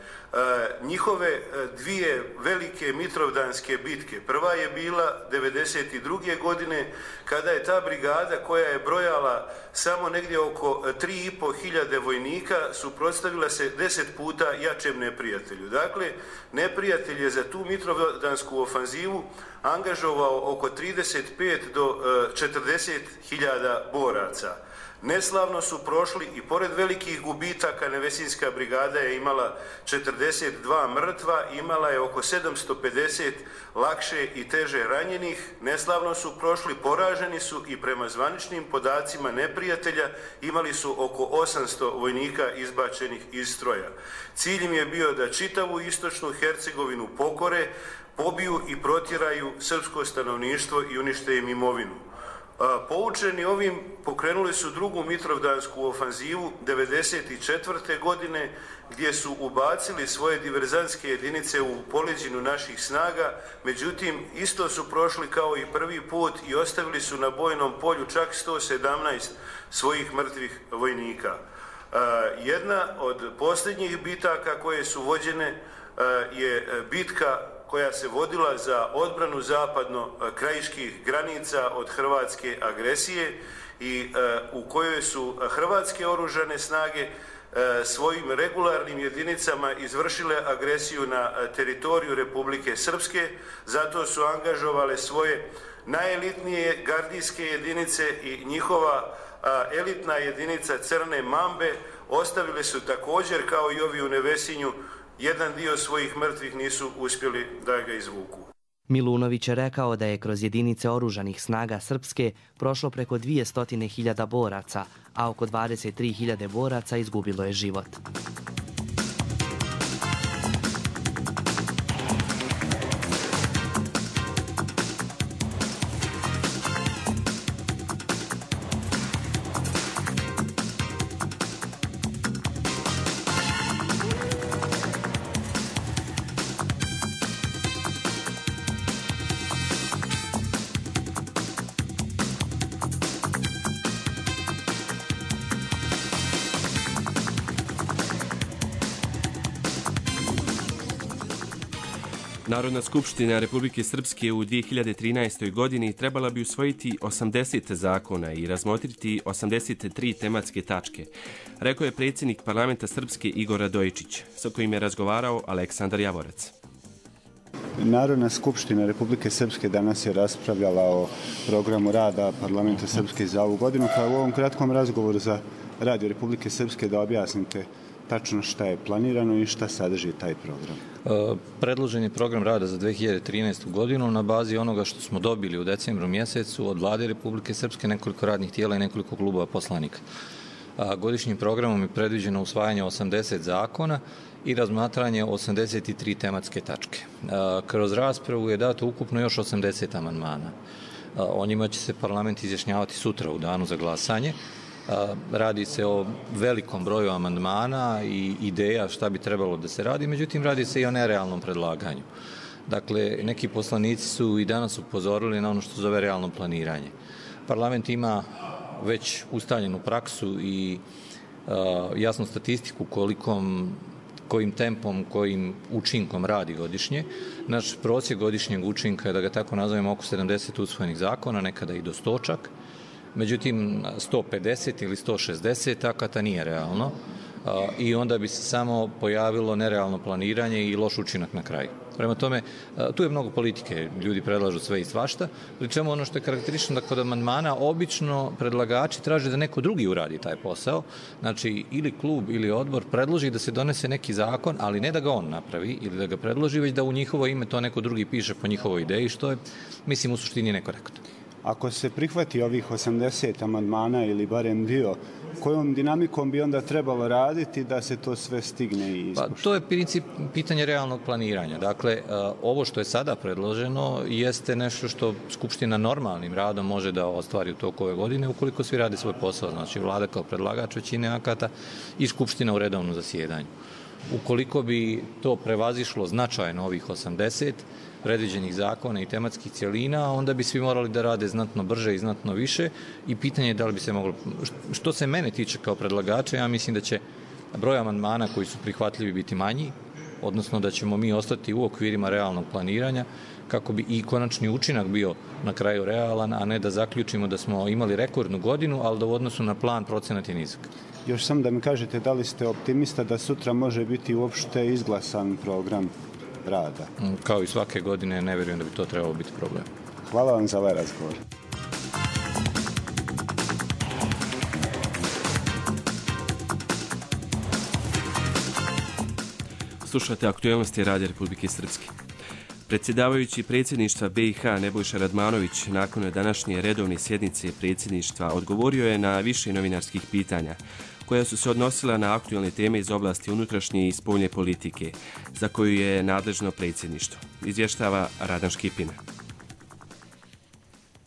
Njihove dvije velike mitrovdanske bitke. Prva je bila devedeset druge godine kada je ta brigada, koja je brojala samo negdje oko tri i po hiljade vojnika, suprotstavila se deset puta jačem neprijatelju. Dakle, neprijatelj je za tu mitrovdansku ofanzivu angažovao oko trideset pet do četrdeset hiljada boraca. Neslavno su prošli i pored velikih gubitaka Nevesinjska brigada je imala četrdeset dva mrtva, imala je oko sedamsto pedeset lakše i teže ranjenih. Neslavno su prošli, poraženi su i prema zvaničnim podacima neprijatelja imali su oko osamsto vojnika izbačenih iz stroja. Cilj im je bio da čitavu istočnu Hercegovinu pokore, pobiju i protjeraju srpsko stanovništvo i unište im imovinu. Poučeni ovim, pokrenuli su drugu mitrovdansku ofanzivu devedeset četvrte godine, gdje su ubacili svoje diverzantske jedinice u poleđinu naših snaga, međutim isto su prošli kao i prvi put i ostavili su na bojnom polju čak sto sedamnaest svojih mrtvih vojnika. Jedna od posljednjih bitaka koje su vođene je bitka koja se vodila za odbranu zapadno-krajiških granica od hrvatske agresije i u kojoj su hrvatske oružane snage svojim regularnim jedinicama izvršile agresiju na teritoriju Republike Srpske, zato su angažovale svoje najelitnije gardijske jedinice i njihova elitna jedinica Crne Mambe ostavili su također, kao i ovi u Nevesinju, jedan dio svojih mrtvih, nisu uspjeli da ga izvuku. Milunović je rekao da je kroz jedinice oružanih snaga Srpske prošlo preko dvjesto hiljada boraca, a oko dvadeset tri hiljade boraca izgubilo je život. Narodna skupština Republike Srpske u dvije hiljade trinaestoj. godini trebala bi usvojiti osamdeset zakona i razmotriti osamdeset tri tematske tačke, rekao je predsjednik parlamenta Srpske Igor Radojičić, sa kojim je razgovarao Aleksandar Javorac. Narodna skupština Republike Srpske danas je raspravljala o programu rada parlamenta Srpske za ovu godinu, pa u ovom kratkom razgovoru za Radio Republike Srpske da objasnite tačno šta je planirano i šta sadrži taj program. Predložen je program rada za dvije hiljade trinaestu. godinu na bazi onoga što smo dobili u decembru mjesecu od Vlade Republike Srpske, nekoliko radnih tijela i nekoliko klubova poslanika. Godišnjim programom je predviđeno usvajanje osamdeset zakona i razmatranje osamdeset tri tematske tačke. Kroz raspravu je dato ukupno još osamdeset amandmana. O njima će se parlament izjašnjavati sutra u danu za glasanje. Radi se o velikom broju amandmana i ideja šta bi trebalo da se radi, međutim radi se i o nerealnom predlaganju. Dakle, neki poslanici su i danas upozorili na ono što zove realno planiranje. Parlament ima već ustaljenu praksu i uh, jasnu statistiku kolikom, kojim tempom, kojim učinkom radi godišnje. Naš prosjek godišnjeg učinka je, da ga tako nazovemo, oko sedamdeset usvojenih zakona, nekada i do sto čak. Međutim, sto pedeset ili sto šezdeset akata nije realno i onda bi se samo pojavilo nerealno planiranje i loš učinak na kraju. Prema tome, tu je mnogo politike, ljudi predlažu sve i svašta, pri čemu ono što je karakteristično da kod amandmana obično predlagači traže da neko drugi uradi taj posao, znači ili klub ili odbor predloži da se donese neki zakon, ali ne da ga on napravi ili da ga predloži, već da u njihovo ime to neko drugi piše po njihovoj ideji, što je, mislim, u suštini nekorektno. Ako se prihvati ovih osamdeset amandmana ili barem dio, kojom dinamikom bi onda trebalo raditi da se to sve stigne i ispušta? Pa, to je princip pitanje realnog planiranja. Dakle, ovo što je sada predloženo jeste nešto što Skupština normalnim radom može da ostvari u toku ove godine ukoliko svi rade svoj posao, znači vlada kao predlagač većine akata i Skupština u redovnom zasjedanju. Ukoliko bi to prevazišlo značajno ovih osamdeset predviđenih zakona i tematskih cjelina, onda bi svi morali da rade znatno brže i znatno više i pitanje je da li bi se moglo... Što se mene tiče kao predlagača, ja mislim da će broj amandmana koji su prihvatljivi biti manji, odnosno da ćemo mi ostati u okvirima realnog planiranja kako bi i konačni učinak bio na kraju realan, a ne da zaključimo da smo imali rekordnu godinu, ali da u odnosu na plan procenat je nizak. Još sam da mi kažete da li ste optimista da sutra može biti uopšte izglasan program rada? Kao i svake godine, ne vjerujem da bi to trebalo biti problem. Hvala vam za ovaj razgovor. Slušate aktualnosti Radija Republike Srpske. Predsjedavajući predsjedništva B i H Nebojša Radmanović nakon današnje redovne sjednice predsjedništva odgovorio je na više novinarskih pitanja koja su se odnosila na aktualne teme iz oblasti unutrašnje i spoljne politike, za koju je nadležno predsjedništvo. Izvještava Radan Škipina.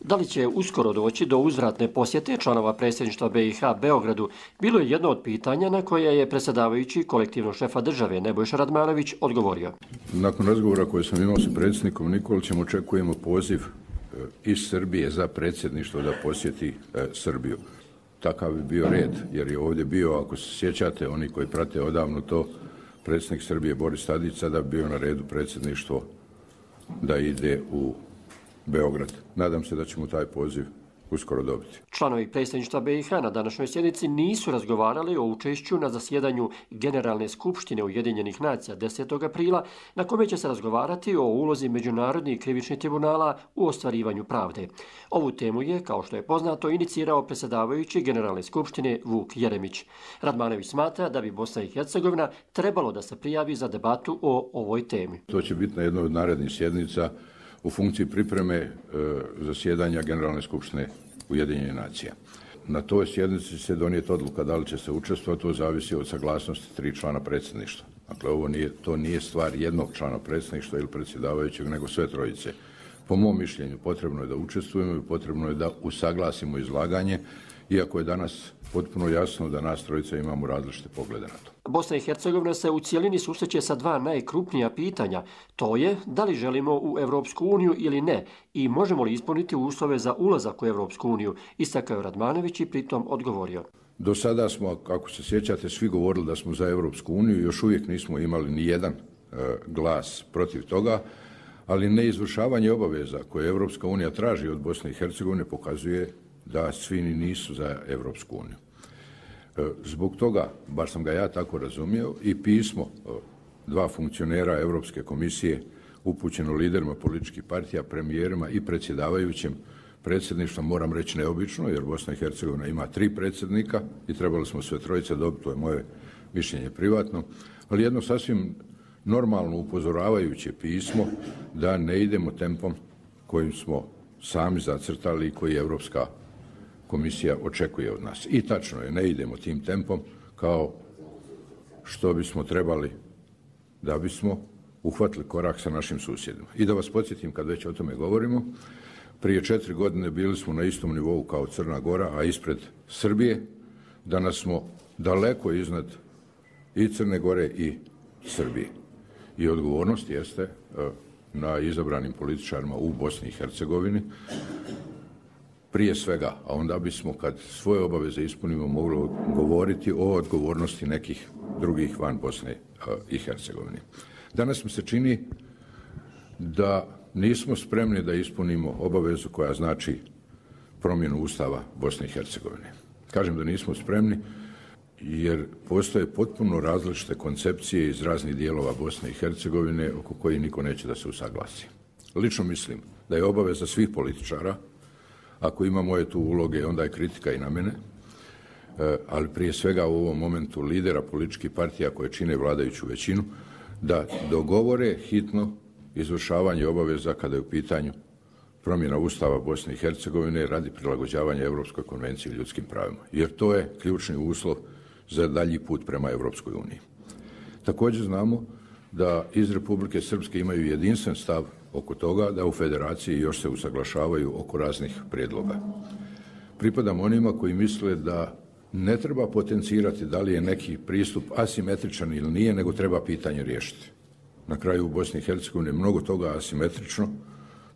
Da li će uskoro doći do uzvratne posjete članova predsjedništva B i H Beogradu, bilo je jedno od pitanja na koje je predsjedavajući kolektivnog šefa države Nebojša Radmanović odgovorio. Nakon razgovora koje sam imao sa predsjednikom Nikolićem očekujemo poziv iz Srbije za predsjedništvo da posjeti Srbiju. Takav bi bio red, jer je ovdje bio, ako se sjećate, oni koji prate odavno to, predsjednik Srbije Boris Tadić sada bi bio na redu predsjedništvo da ide u Beograd. Nadam se da ćemo taj poziv uskoro dobiti. Članovi predsjedništva B i H na današnjoj sjednici nisu razgovarali o učešću na zasjedanju Generalne skupštine Ujedinjenih nacija desetog aprila, na kome će se razgovarati o ulozi međunarodnih krivičnih tribunala u ostvarivanju pravde. Ovu temu je, kao što je poznato, inicirao predsjedavajući Generalne skupštine Vuk Jeremić. Radmanović smatra da bi Bosna i Hercegovina trebalo da se prijavi za debatu o ovoj temi. To će biti na jednoj od narednih sjednica u funkciji pripreme e, zasjedanja Generalne skupštine Ujedinjenih nacija. Na toj sjednici se donijeti odluka da li će se učestvovati, to zavisi od saglasnosti tri člana predsjedništva. Dakle, ovo nije, to nije stvar jednog člana predsjedništva ili predsjedavajućeg, nego sve trojice. Po mom mišljenju potrebno je da učestvujemo i potrebno je da usaglasimo izlaganje, iako je danas potpuno jasno da nas trojica imamo različite poglede na to. Bosna i Hercegovina se u cijelini susreće sa dva najkrupnija pitanja. To je da li želimo u Evropsku uniju ili ne i možemo li ispuniti uslove za ulazak u Evropsku uniju, istakao je Radmanović i pritom odgovorio. Do sada smo, kako se sjećate, svi govorili da smo za Evropsku uniju, još uvijek nismo imali ni jedan e, glas protiv toga, ali neizvršavanje obaveza koje Evropska unija traži od Bosne i Hercegovine pokazuje da svi nisu za Evropsku uniju. Zbog toga, bar sam ga ja tako razumio, i pismo dva funkcionera Europske komisije upućeno liderima političkih partija, premijerima i predsjedavajućem predsjedništva, moram reći neobično, jer Bosna i Hercegovina ima tri predsjednika i trebali smo sve trojice dobiti, to je moje mišljenje privatno, ali jedno sasvim normalno upozoravajuće pismo da ne idemo tempom kojim smo sami zacrtali i koji Europska komisija očekuje od nas. I tačno je, ne idemo tim tempom kao što bismo trebali da bismo uhvatili korak sa našim susjedima. I da vas podsjetim, kad već o tome govorimo, prije četiri godine bili smo na istom nivou kao Crna Gora, a ispred Srbije. Danas smo daleko iznad i Crne Gore i Srbije. I odgovornost jeste na izabranim političarima u Bosni i Hercegovini, prije svega, a onda bismo, kad svoje obaveze ispunimo, mogli govoriti o odgovornosti nekih drugih van Bosne i Hercegovine. Danas mi se čini da nismo spremni da ispunimo obavezu koja znači promjenu Ustava Bosne i Hercegovine. Kažem da nismo spremni jer postoje potpuno različite koncepcije iz raznih dijelova Bosne i Hercegovine oko kojih niko neće da se usaglasi. Lično mislim da je obaveza svih političara, ako ima moje tu uloge, onda je kritika i na mene, ali prije svega u ovom momentu lidera političkih partija koje čine vladajuću većinu, da dogovore hitno izvršavanje obaveza kada je u pitanju promjena Ustava Bosne i Hercegovine radi prilagođavanja Europskoj konvenciji o ljudskim pravima, jer to je ključni uslov za dalji put prema Europskoj uniji. Također znamo da iz Republike Srpske imaju jedinstven stav oko toga da u federaciji još se usaglašavaju oko raznih prijedloga. Pripadam onima koji misle da ne treba potencirati da li je neki pristup asimetričan ili nije, nego treba pitanje riješiti. Na kraju u Bosni i Hercegovini je mnogo toga asimetrično,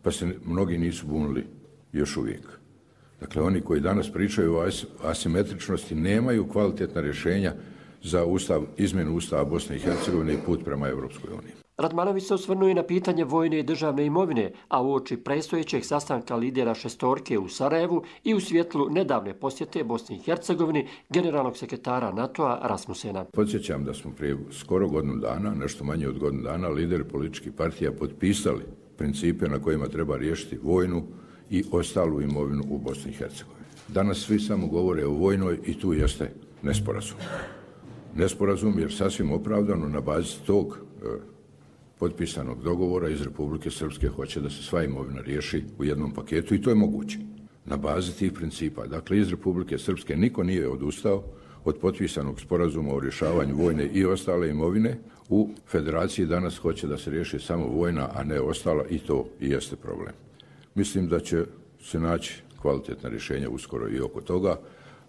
pa se mnogi nisu bunili još uvijek. Dakle, oni koji danas pričaju o asimetričnosti nemaju kvalitetna rješenja za ustav, izmjenu Ustava Bosne i Hercegovine i put prema Europskoj uniji. Radmanović se osvrnuo i na pitanje vojne i državne imovine, a uoči predstojećeg sastanka lidera šestorke u Sarajevu i u svjetlu nedavne posjete Bosni i Hercegovini generalnog sekretara NATO-a Rasmusena. Podsjećam da smo prije skoro godinu dana, nešto manje od godinu dana, lideri političkih partija potpisali principe na kojima treba riješiti vojnu i ostalu imovinu u Bosni i Hercegovini. Danas svi samo govore o vojnoj i tu jeste nesporazum. Nesporazum jer sasvim opravdano na bazi tog e, potpisanog dogovora iz Republike Srpske hoće da se sva imovina riješi u jednom paketu i to je moguće. Na bazi tih principa. Dakle, iz Republike Srpske niko nije odustao od potpisanog sporazuma o rješavanju vojne i ostale imovine. U federaciji danas hoće da se riješi samo vojna, a ne ostala i to i jeste problem. Mislim da će se naći kvalitetna rješenja uskoro i oko toga,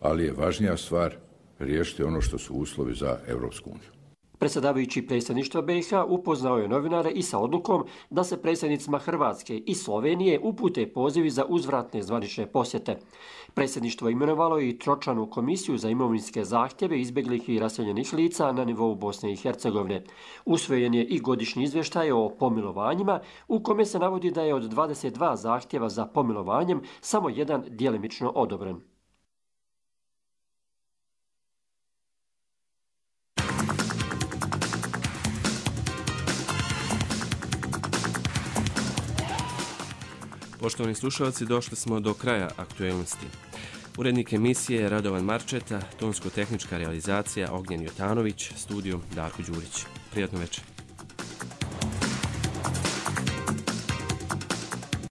ali je važnija stvar riješiti ono što su uslovi za Europsku uniju. Predsjedavajući predsjedništva B i H upoznao je novinare i sa odlukom da se predsjednicima Hrvatske i Slovenije upute pozivi za uzvratne zvanične posjete. Predsjedništvo imenovalo i tročlanu komisiju za imovinske zahtjeve izbjeglih i raseljenih lica na nivou Bosne i Hercegovine. Usvojen je i godišnji izvještaj o pomilovanjima u kome se navodi da je od dvadeset dva zahtjeva za pomilovanjem samo jedan djelimično odobren. Poštovani slušalci, došli smo do kraja aktuelnosti. Urednik emisije Radovan Marčeta, tonsko-tehnička realizacija Ognjen Jotanović, studio Darko Đurić. Prijatno večer.